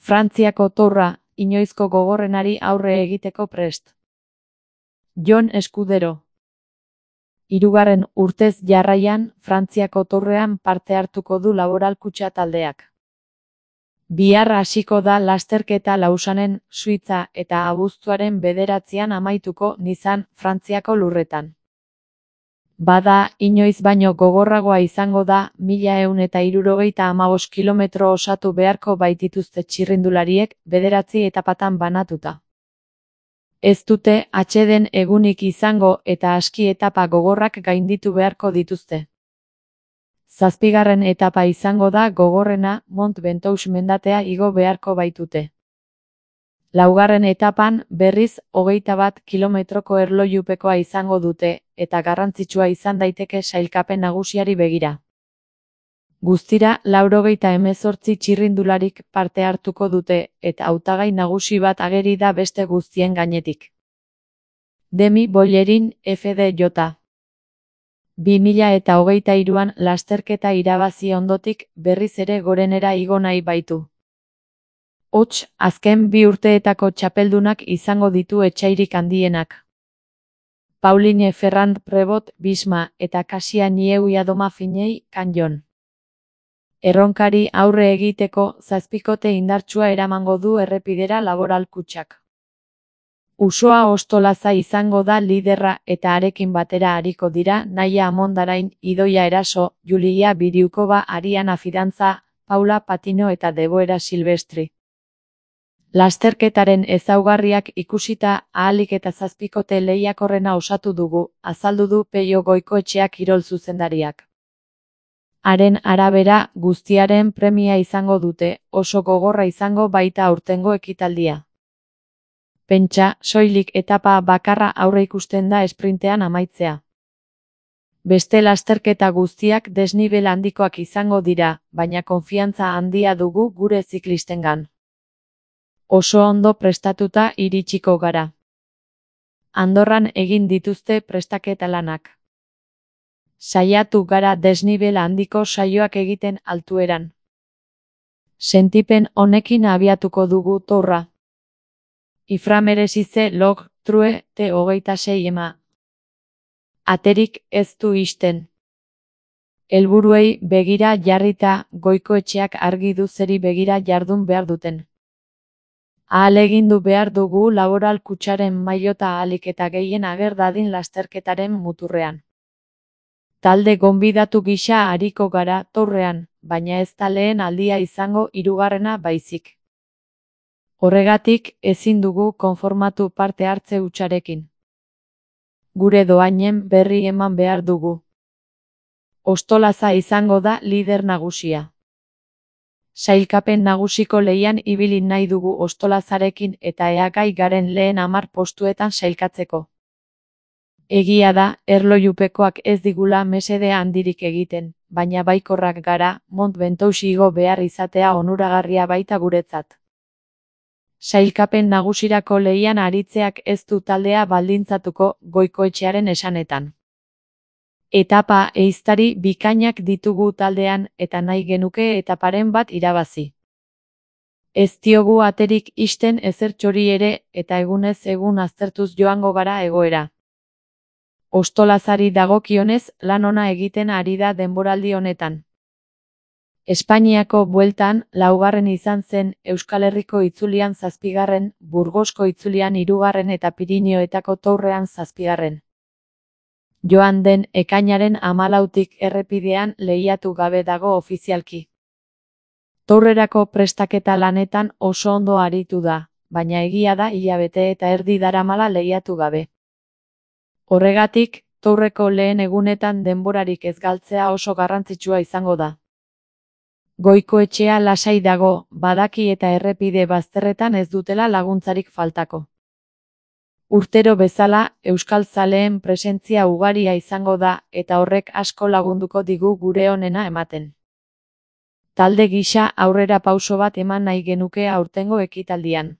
Frantziako Tourra, inoizko gogorrenari aurre egiteko prest. Jon Eskudero. 3. urtez jarraian, Frantziako Tourrean parte hartuko du Laboral Kutxa taldeak. Bihar hasiko da lasterketa Lausanen, Suitza eta abuztuaren 9an amaituko Nizan, Frantziako lurretan. Bada, inoiz baino gogorragoa izango da, 1175 kilometro osatu beharko baitituzte txirrindulariek, 9 etapatan banatuta. Ez dute atseden egunik izango eta aski etapa gogorrak gainditu beharko dituzte. 7. etapa izango da gogorrena, Mont Ventoux mendatea igo beharko baitute. 4. etapan, berriz, 21 kilometroko erlojupekoa izango dute, eta garrantzitsua izan daiteke sailkapen nagusiari begira. Guztira, 98 txirrindularik parte hartuko dute, eta hautagai nagusi bat ageri da beste guztien gainetik. Demi Bollerin, FDJ. 2023an lasterketa irabazi ondotik, berriz ere gorenera igo nahi baitu. Hots, azken 2 urteetako txapeldunak izango ditu etsairik handienak. Pauline Ferrand-Prévot, Bisma, eta Kasia Nieu-Yadoma Finei, Canyon. Erronkari aurre egiteko 7 indartsua eramango du errepidera Laboral Kutxak. Usoa Ostolaza izango da liderra eta harekin batera ariko dira Naia Amondarain, Idoia Eraso, Julia Biriukova, Ariana Fidantza, Paula Patino eta Deboera Silvestri. Lasterketaren ezaugarriak ikusita ahalik eta 7 lehiakorrena osatu dugu, azaldu du Peio Goikoetxea kirol zuzendariak. Haren arabera, guztiaren premia izango dute, oso gogorra izango baita aurtengo ekitaldia. Pentsa, soilik etapa bakarra aurre ikusten da esprintean amaitzea. Beste lasterketa guztiak desnibel handikoak izango dira, baina konfiantza handia dugu gure ziklistengan. Oso ondo prestatuta iritsiko gara. Andorran egin dituzte prestaketa lanak. Saiatu gara desnibel handiko saioak egiten altueran. Sentipen honekin abiatuko dugu Tourra. Iframeresize log, true, T26 ema. Aterik ez du ixten. Helburuei begira jarrita, Goikoetxeak argi du zeri begira jardun behar duten. Ahalegindu behar dugu Laboral Kutxaren mailota ahalik eta gehien ager dadin lasterketaren muturrean. Talde gonbidatu gisa ariko gara Tourrean, baina ez da lehen aldia izango 3. baizik. Horregatik, ezin dugu konformatu parte hartze hutsarekin. Gure dohainen berri eman behar dugu. Ostolaza izango da lider nagusia. Sailkapen nagusiko lehian ibili nahi dugu Ostolazarekin eta ea gai garen lehen 10 postuetan sailkatzeko. Egia da, erlojupekoak ez digula mesede handirik egiten, baina baikorrak gara, Mont Ventoux igo behar izatea onuragarria baita guretzat. Sailkapen nagusirako lehian aritzeak ez du taldea baldintzatuko, Goikoetxearen esanetan. Etapa ehiztari bikainak ditugu taldean eta nahi genuke etaparen bat irabazi. Ez diogu aterik ixten ezertxori ere eta egunez egun aztertuz joango gara egoera. Ostolazari dagokionez lan ona egiten ari da denboraldi honetan. Espainiako bueltan 4. izan zen, Euskal Herriko itzulian 7., Burgosko itzulian 3. eta Pirinioetako Tourrean 7. Joan den ekainaren 14tik errepidean lehiatu gabe dago ofizialki. Tourrerako prestaketa lanetan oso ondo aritu da, baina egia da hilabete eta erdi daramala lehiatu gabe. Horregatik, Tourreko lehen egunetan denborarik ez galtzea oso garrantzitsua izango da. Goikoetxea lasai dago, badaki eta errepide bazterretan ez dutela laguntzarik faltako. Urtero bezala, euskal zaleen presentzia ugaria izango da eta horrek asko lagunduko digu gure onena ematen. Talde gisa aurrera pauso bat eman nahi genuke aurtengo ekitaldian.